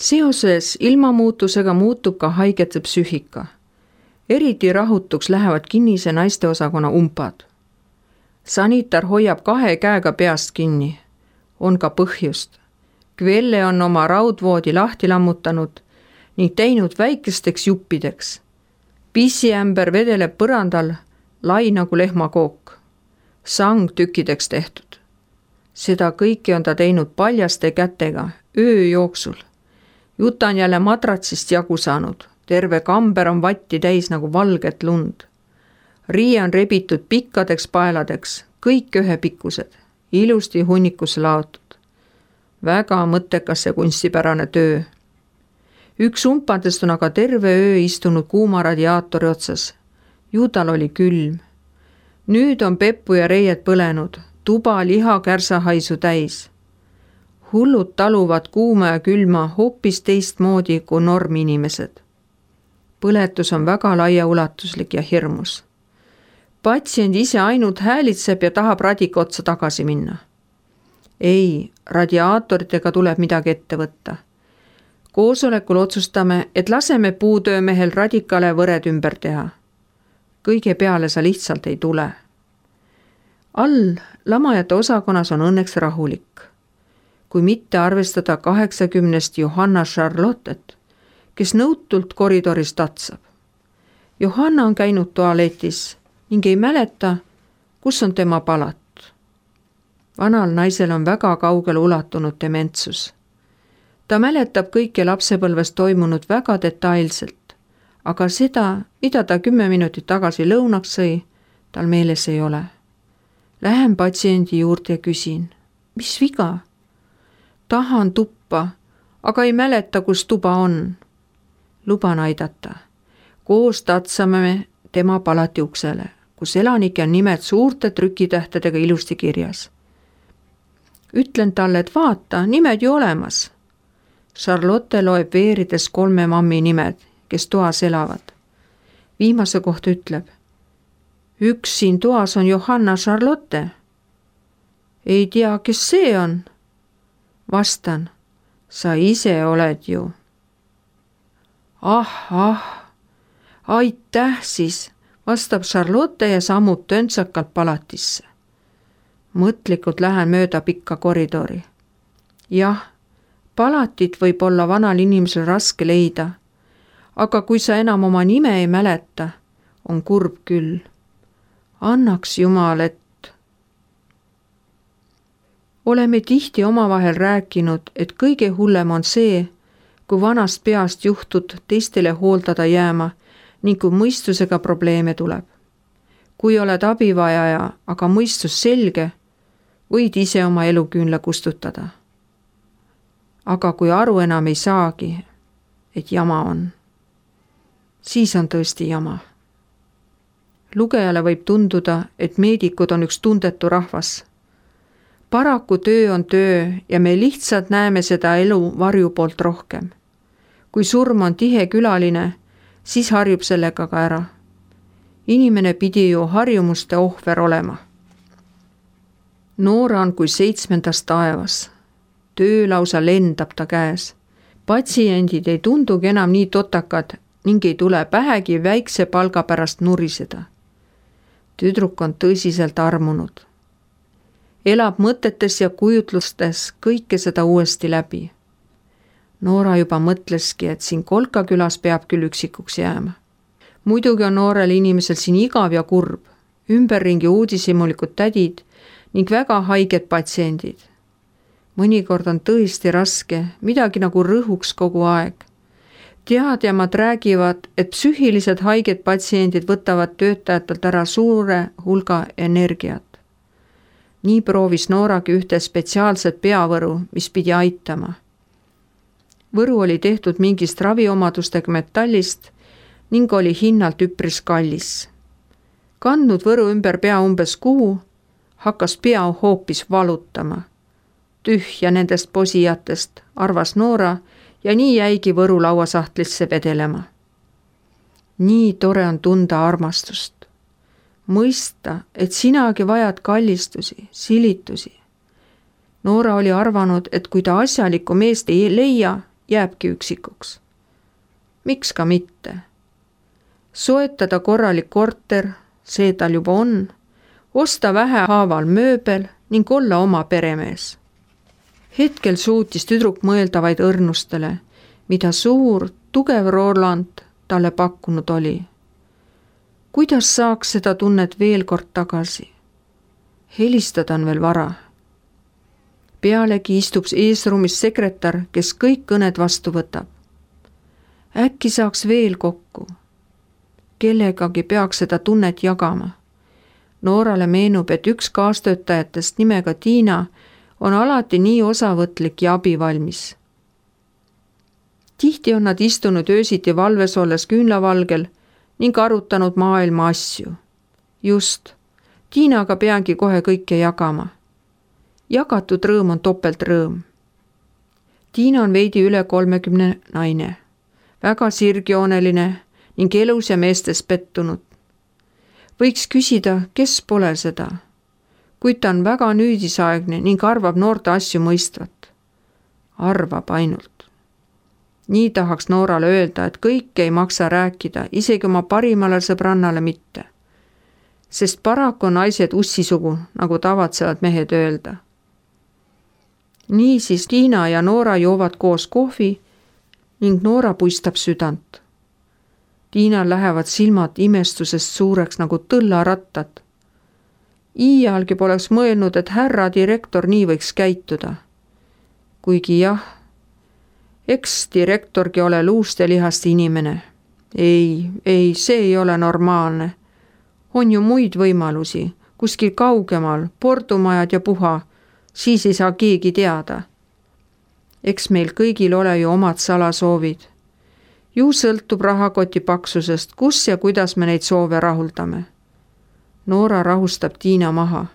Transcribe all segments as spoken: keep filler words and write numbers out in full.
Seoses ilmamuutusega muutub ka haigete psüühika. Eriti rahutuks lähevad kinnise naisteosakonna umpad. Sanitar hoiab kahe käega peast kinni. On ka põhjust. Kvelle on oma raudvoodi lahti lammutanud ning teinud väikesteks juppideks. Pissiämber vedeleb põrandal, lai nagu lehmakook. Sang tükkideks tehtud. Seda kõike on ta teinud paljaste kätega, öö jooksul. Juta on jälle madratsist jagu saanud. Terve kamber on vatti täis nagu valget lund. Riie on rebitud pikkadeks paeladeks, kõik ühepikkused, ilusti hunnikusse laotud. Väga mõttekas see kunstipärane töö. Üks umpadest on aga terve öö istunud kuuma radiaatori otsas. Ju tal oli külm. Nüüd on peppu ja reied põlenud, tuba liha kärsahaisu täis. Hullud taluvad kuuma ja külma hoopis teistmoodi kui norminimesed. Põletus on väga laiaulatuslik ja hirmus. Patsient ise ainult häälitseb ja tahab radika otsa tagasi minna. Ei, radiaatoritega tuleb midagi ette võtta. Koosolekul otsustame, et laseme puutöömehel radikale võred ümber teha. Kõige peale sa lihtsalt ei tule. All lamajate osakonnas on õnneks rahulik. Kui mitte arvestada kaheksakümnest Johanna Charlottet, kes nõutult koridoris tatsab. Johanna on käinud tualetis ning ei mäleta, kus on tema palat. Vanal naisel on väga kaugele ulatunud dementsus. Ta mäletab kõike lapsepõlves toimunud väga detailselt, aga seda, mida ta kümme minutit tagasi lõunaks sõi, tal meeles ei ole. Lähen patsiendi juurde ja küsin, mis viga? Tahan tuppa, aga ei mäleta, kus tuba on. Luban aidata. Koos tatsame me tema palati uksele, kus elanike on nimed suurte trükitähtedega ilusti kirjas. Ütlen talle, et vaata, nimed ju olemas. Charlotte loeb veerides kolme mammi nimed, kes toas elavad. Viimase kohta ütleb, üks siin toas on Johanna Charlotte. Ei tea, kes see on? Vastan, sa ise oled ju. Ah, ah, aitäh siis, vastab Charlotte ja sammub töntsakalt palatisse. Mõtlikult lähen mööda pikka koridori. Jah, palatit võib olla vanal inimesel raske leida, aga kui sa enam oma nime ei mäleta, on kurb küll. Annaks Jumal, et oleme tihti omavahel rääkinud, et kõige hullem on see, kui vanast peast juhtud teistele hooldada jääma ning kui mõistusega probleeme tuleb. Kui oled abivajaja, aga mõistus selge, võid ise oma eluküünla kustutada. Aga kui aru enam ei saagi, et jama on, siis on tõesti jama. Lugejale võib tunduda, et meedikud on üks tundetu rahvas. Paraku töö on töö ja me lihtsalt näeme seda elu varju poolt rohkem. Kui surm on tihe külaline, siis harjub sellega ka ära. Inimene pidi ju harjumuste ohver olema. Noora on kui seitsmendas taevas. Töö lausa lendab ta käes. Patsiendid ei tundugi enam nii totakad ning ei tule pähegi väikse palga pärast nuriseda. Tüdruk on tõsiselt armunud. Elab mõtetes ja kujutlustes kõike seda uuesti läbi. Noora juba mõtleski, et siin Kolkakülas peab küll üksikuks jääma. Muidugi on noorel inimesel siin igav ja kurb, ümberringi uudishimulikud tädid ning väga haiged patsiendid. Mõnikord on tõesti raske, midagi nagu rõhuks kogu aeg. Teadjamad räägivad, et psüühilised haiged patsiendid võtavad töötajatelt ära suure hulga energiat. Nii proovis Nooragi ühte spetsiaalset peavõru, mis pidi aitama. Võru oli tehtud mingist raviomadustega metallist ning oli hinnalt üpris kallis. Kandnud võru ümber pea umbes kuu, hakkas pea hoopis valutama. Tühja nendest posijatest, arvas Noora ja nii jäigi võru lauasahtlisse vedelema. Nii tore on tunda armastust. Mõista, et sinagi vajad kallistusi, silitusi. Noora oli arvanud, et kui ta asjalikku meest ei leia, jääbki üksikuks. Miks ka mitte? Soetada korralik korter, see tal juba on, osta vähehaaval mööbel ning olla oma peremees. Hetkel suutis tüdruk mõelda vaid õrnustele, mida suur, tugev Roland talle pakkunud oli. Kuidas saaks seda tunnet veel kord tagasi? Helistada on veel vara. Pealegi istub eesruumis sekretär, kes kõik kõned vastu võtab. Äkki saaks veel kokku. Kellegagi peaks seda tunnet jagama. Noorale meenub, et üks kaastöötajatest nimega Tiina on alati nii osavõtlik ja abivalmis. Tihti on nad istunud öösiti valves olles küünlavalgel ning arutanud maailma asju. Just, Tiinaga peangi kohe kõike jagama. Jagatud rõõm on topelt rõõm. Tiina on veidi üle kolmekümne naine, väga sirgjooneline ning elus ja meestes pettunud. Võiks küsida, kes pole seda, kuid ta on väga nüüdisaegne ning arvab noorte asju mõistvat. Arvab ainult. Nii tahaks Noorale öelda, et kõike ei maksa rääkida, isegi oma parimale sõbrannale mitte. Sest paraku on naised ussisugu, nagu tavatsevad mehed öelda. Niisiis Tiina ja Noora joovad koos kohvi ning Noora puistab südant. Tiinal lähevad silmad imestusest suureks nagu tõllarattad. Iialgi poleks mõelnud, et härra direktor nii võiks käituda. Kuigi jah, eks direktorgi ole luust ja lihast inimene. Ei, ei, see ei ole normaalne. On ju muid võimalusi, kuskil kaugemal, pordumajad ja puha, siis ei saa keegi teada. Eks meil kõigil ole ju omad salasoovid. Ju sõltub rahakoti paksusest, kus ja kuidas me neid soove rahuldame. Noora rahustab Tiina maha.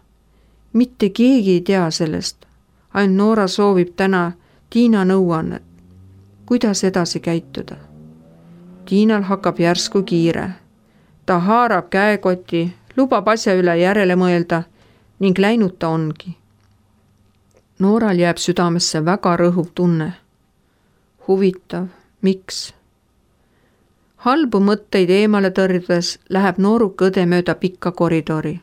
Mitte keegi ei tea sellest. Ainult Noora soovib täna Tiina nõuannet. Kuidas edasi käituda? Tiinal hakkab järsku kiire. Ta haarab käekoti, lubab asja üle järele mõelda ning läinud ta ongi. Nooral jääb südamesse väga rõhuv tunne. Huvitav, miks? Halbu mõtteid eemale tõrjudes läheb nooruk õde mööda pikka koridori.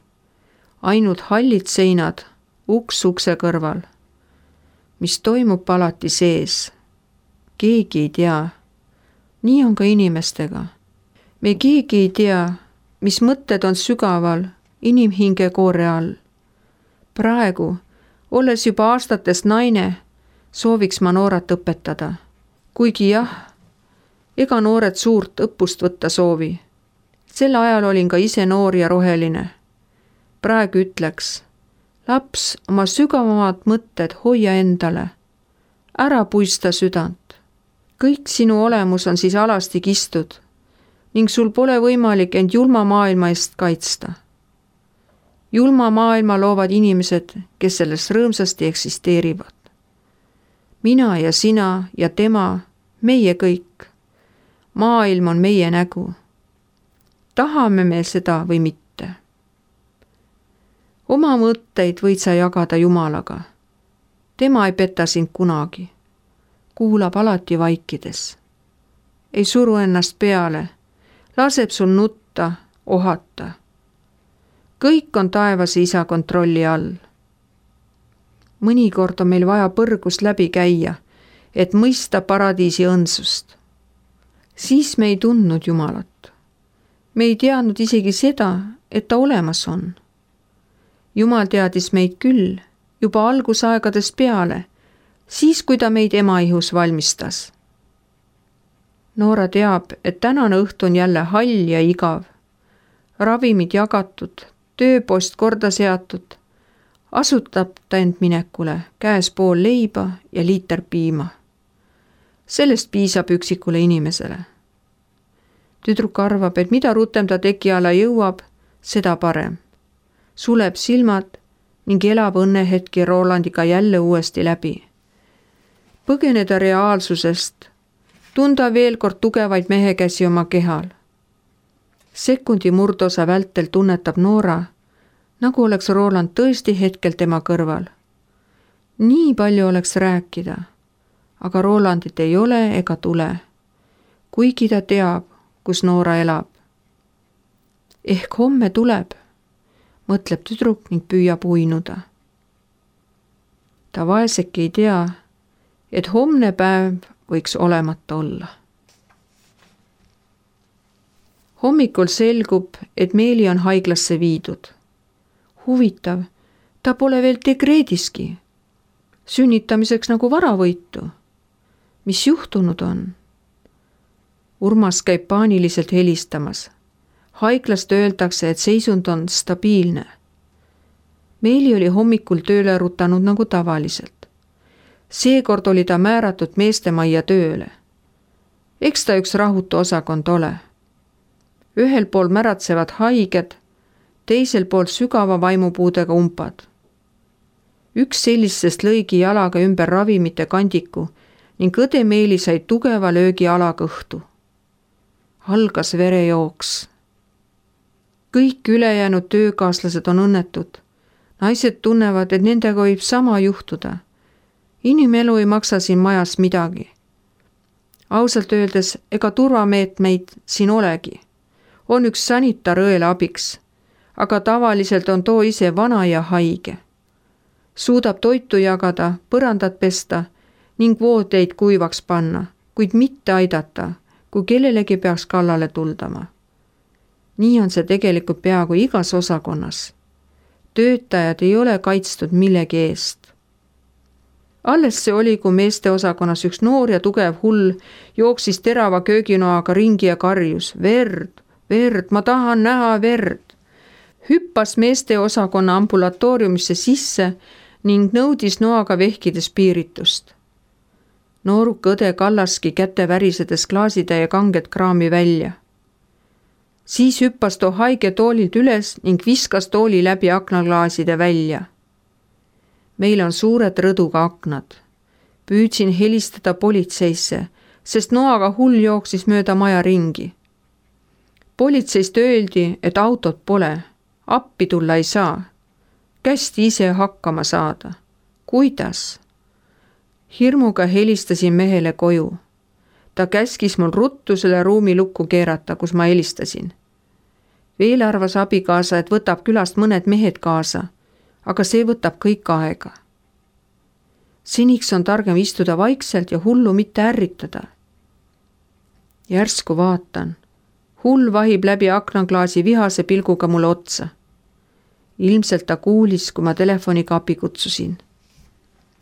Ainult hallid seinad, uks ukse kõrval. Mis toimub alati sees? Keegi ei tea. Nii on ka inimestega. Me keegi ei tea, mis mõtted on sügaval inimhinge koore all. Praegu, olles juba aastatest naine, sooviks ma Noorat õpetada. Kuigi jah, ega noored suurt õppust võtta soovi. Sel ajal olin ka ise noor ja roheline. Praegu ütleks, laps, oma sügavamad mõtted hoia endale. Ära puista südant. Kõik sinu olemus on siis alasti kistud ning sul pole võimalik end julma maailma eest kaitsta. Julma maailma loovad inimesed, kes selles rõõmsasti eksisteerivad. Mina ja sina ja tema, meie kõik. Maailm on meie nägu. Tahame me seda või mitte. Oma mõtteid võid sa jagada Jumalaga. Tema ei peta sind kunagi. Kuulab alati vaikides. Ei suru ennast peale. Laseb sul nutta, ohata. Kõik on taevase isa kontrolli all. Mõnikord on meil vaja põrgust läbi käia, et mõista paradiisi õndsust. Siis me ei tundnud Jumalat. Me ei teadnud isegi seda, et ta olemas on. Jumal teadis meid küll juba algusaegadest peale, siis kui ta meid emaihus valmistas. Noora teab, et tänane õhtu on jälle hall ja igav. Ravimid jagatud, tööpost korda seatud. Asutab ta end minekule, käes pool leiba ja liiter piima. Sellest piisab üksikule inimesele. Tüdruk arvab, et mida rutem ta teki alla jõuab, seda parem. Suleb silmad ning elab õnnehetki Rolandiga jälle uuesti läbi. Põgeneda reaalsusest, tunda veel kord tugevaid mehekäsi oma kehal. Sekundi murdosa vältel tunnetab Noora, nagu oleks Roland tõesti hetkel tema kõrval. Nii palju oleks rääkida, aga Rolandit ei ole ega tule, kuigi ta teab, kus Noora elab. Ehk homme tuleb, mõtleb tüdruk ning püüab uinuda. Ta vaeseki ei tea, et homne päev võiks olemata olla. Hommikul selgub, et Meeli on haiglasse viidud. Huvitav, ta pole veel dekreediski. Sünnitamiseks nagu varavõitu. Mis juhtunud on? Urmas käib paaniliselt helistamas. Haiglast öeldakse, et seisund on stabiilne. Meeli oli hommikul tööle rutanud nagu tavaliselt. Seekord oli ta määratud meestemajja tööle. Eks ta üks rahutu osakond ole. Ühel pool märatsevad haiged, teisel pool sügava vaimupuudega umpad. Üks sellistest lõigi jalaga ümber ravimite kandiku ning õde Meeli sai tugeva löögi alakõhtu. Algas verejooks. Kõik ülejäänud töökaaslased on õnnetud. Naised tunnevad, et nendega võib sama juhtuda. Inimelu ei maksa siin majas midagi. Ausalt öeldes, ega turvameetmeid siin olegi. On üks sanitar õele abiks, aga tavaliselt on too ise vana ja haige. Suudab toitu jagada, põrandat pesta ning voodeid kuivaks panna, kuid mitte aidata, kui kellelegi peaks kallale tuldama. Nii on see tegelikult peaaegu igas osakonnas. Töötajad ei ole kaitstud millegi eest. Alles see oli, kui meeste osakonnas üks noor ja tugev hull jooksis terava kööginoaga ringi ja karjus. Verd, verd, ma tahan näha verd. Hüppas meeste osakonna ambulatooriumisse sisse ning nõudis noaga vehkides piiritust. Nooruk õde kallaski käte värisedes klaasitäie kanget kraami välja. Siis hüppas too haige toolilt üles ning viskas tooli läbi aknaklaaside välja. Meil on suured rõduga aknad. Püüdsin helistada politseisse, sest noaga hull jooksis mööda maja ringi. Politseist öeldi, et autot pole, appi tulla ei saa. Kästi ise hakkama saada. Kuidas? Hirmuga helistasin mehele koju. Ta käskis mul ruttu selle ruumi lukku keerata, kus ma helistasin. Veel arvas abikaasa, et võtab külast mõned mehed kaasa, aga see võtab kõik aega. Seniks on targem istuda vaikselt ja hullu mitte ärritada. Järsku vaatan. Hull vahib läbi aknaklaasi vihase pilguga mulle otsa. Ilmselt ta kuulis, kui ma telefoniga abi kutsusin.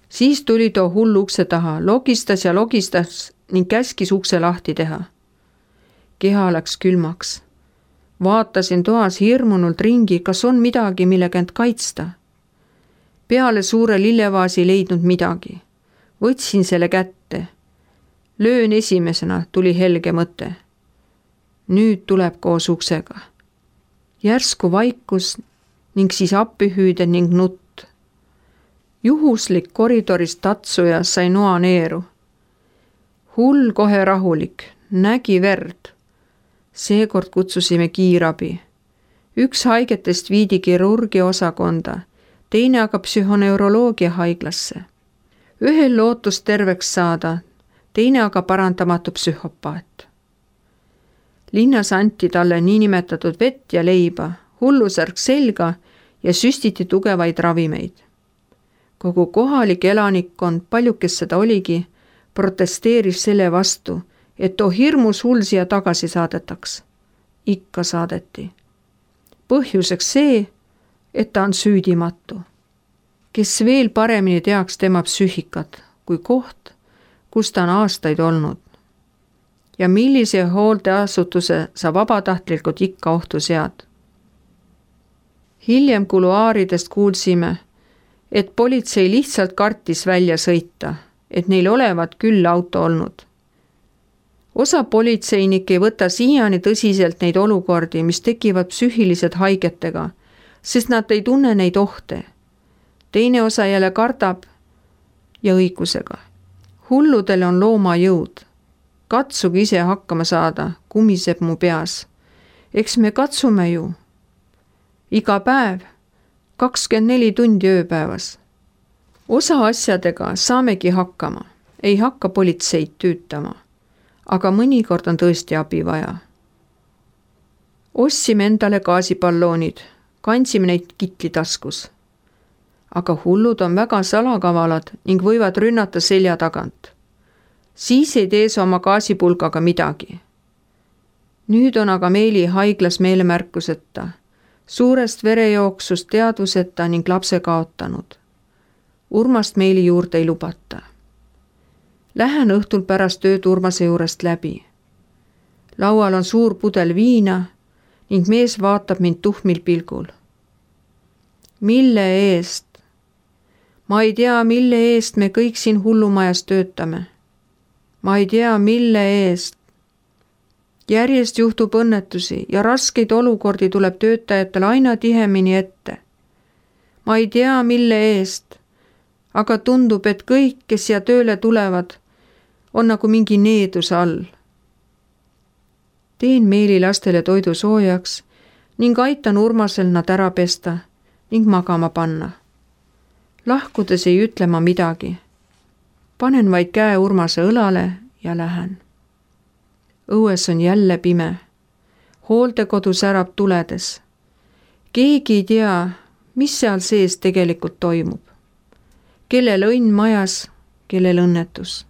Siis tuli too hull ukse taha, logistas ja logistas ning käskis ukse lahti teha. Keha läks külmaks. Vaatasin toas hirmunult ringi, kas on midagi, millega end kaitsta. Peale suure lillevaasi leidnud midagi. Võtsin selle kätte. Löön esimesena, tuli helge mõte. Nüüd tuleb koos uksega. Järsku vaikus ning siis appihüüde ning nutt. Juhuslik koridorist tatsuja sai noa neeru. Hull kohe rahulik, nägi verd. Seekord kutsusime kiirabi. Üks haigetest viidi kirurgia osakonda, teine aga psühhoneuroloogia haiglasse. Ühel lootus terveks saada, teine aga parandamatu psühhopaat. Linnas anti talle niinimetatud vett ja leiba, hullusärk selga ja süstiti tugevaid ravimeid. Kogu kohalik elanikkond, paljukes seda oligi, protesteeris selle vastu, et too hirmus hull siia tagasi saadetaks. Ikka saadeti. Põhjuseks see, et ta on süüdimatu. Kes veel paremini teaks tema psüühikat kui koht, kus ta on aastaid olnud. Ja millise hooldeasutuse sa vabatahtlikult ikka ohtu sead. Hiljem kuluaaridest kuulsime, et politsei lihtsalt kartis välja sõita, et neil olevat küll auto olnud. Osa politseinik ei võta siiani tõsiselt neid olukordi, mis tekivad psüühilised haigetega, sest nad ei tunne neid ohte. Teine osa jälle kardab ja õigusega. Hulludel on looma jõud. Katsuge ise hakkama saada, kumiseb mu peas. Eks me katsume ju. Iga päev, kakskümmend neli tundi ööpäevas. Osa asjadega saamegi hakkama. ei hakka politseid tüütama, aga mõnikord on tõesti abi vaja. Ostsime endale gaasipalloonid, kandsime neid kitli taskus. Aga hullud on väga salakavalad ning võivad rünnata selja tagant. Siis ei tee sa oma gaasipulgaga midagi. Nüüd on aga Meeli haiglas meelemärkuseta, suurest verejooksust teadvuseta ning lapse kaotanud. Urmast Meeli juurde ei lubata. Lähen õhtul pärast tööd Urmase juurest läbi. Laual on suur pudel viina ning mees vaatab mind tuhmil pilgul. Mille eest? Ma ei tea, mille eest me kõik siin hullumajas töötame. Ma ei tea, mille eest. Järjest juhtub õnnetusi ja raskeid olukordi tuleb töötajatel aina tihemini ette. Ma ei tea, mille eest, aga tundub, et kõik, kes siia tööle tulevad, on nagu mingi needuse all. Teen Meeli lastele toidu soojaks ning aitan Urmasel nad ära pesta ning magama panna. Lahkudes ei ütle ma midagi. Panen vaid käe Urmase õlale ja lähen. Õues on jälle pime. Hooldekodu särab tuledes. Keegi ei tea, mis seal sees tegelikult toimub. Kellel õnn majas, kellel õnnetus.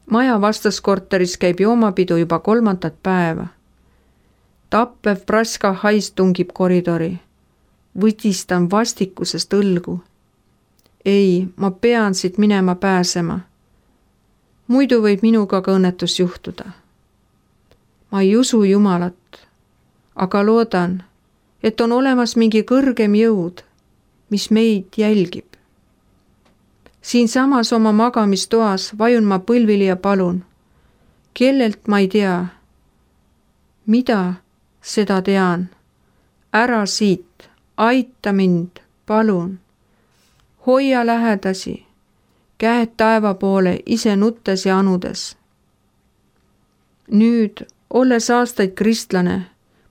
Maja vastaskorteris käib joomapidu juba kolmandat päeva. Tappev praska hais tungib koridori. Võdistan vastikusest õlgu. Ei, ma pean siit minema pääsema. Muidu võib minuga ka õnnetus juhtuda. Ma ei usu Jumalat, aga loodan, et on olemas mingi kõrgem jõud, mis meid jälgib. Siin samas oma magamistoas vajun ma põlvili ja palun. Kellelt ma ei tea. Mida, seda tean. Ära siit, aita mind, palun. Hoia lähedasi, käed taeva poole ise nuttes ja anudes. Nüüd, olles aastaid kristlane,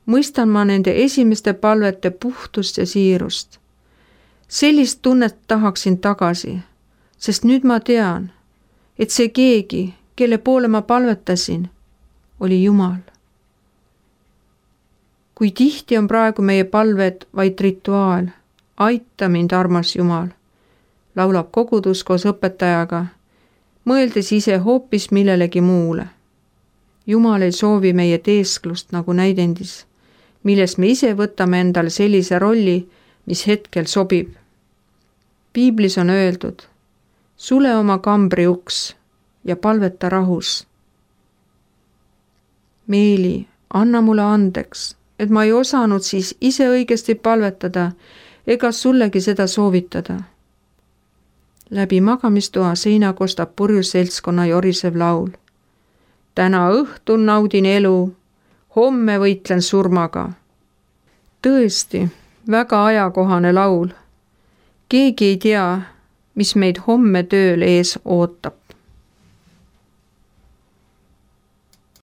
mõistan ma nende esimeste palvete puhtust ja siirust. Sellist tunnet tahaksin tagasi. Sest nüüd ma tean, et see keegi, kelle poole ma palvetasin, oli Jumal. Kui tihti on praegu meie palved vaid rituaal, aita mind, armas Jumal, laulab kogudus koos õpetajaga, mõeldes ise hoopis millelegi muule. Jumal ei soovi meie teesklust nagu näidendis, milles me ise võtame endale sellise rolli, mis hetkel sobib. Piiblis on öeldud, sule oma kambri uks ja palveta rahus. Meeli, anna mulle andeks, et ma ei osanud siis ise õigesti palvetada ega sullegi seda soovitada. Läbi magamistoa seina kostab purju seltskonna jorisev laul. Täna õhtul naudin elu, homme võitlen surmaga. Tõesti, väga ajakohane laul. Keegi ei tea, mis meid homme tööl ees ootab.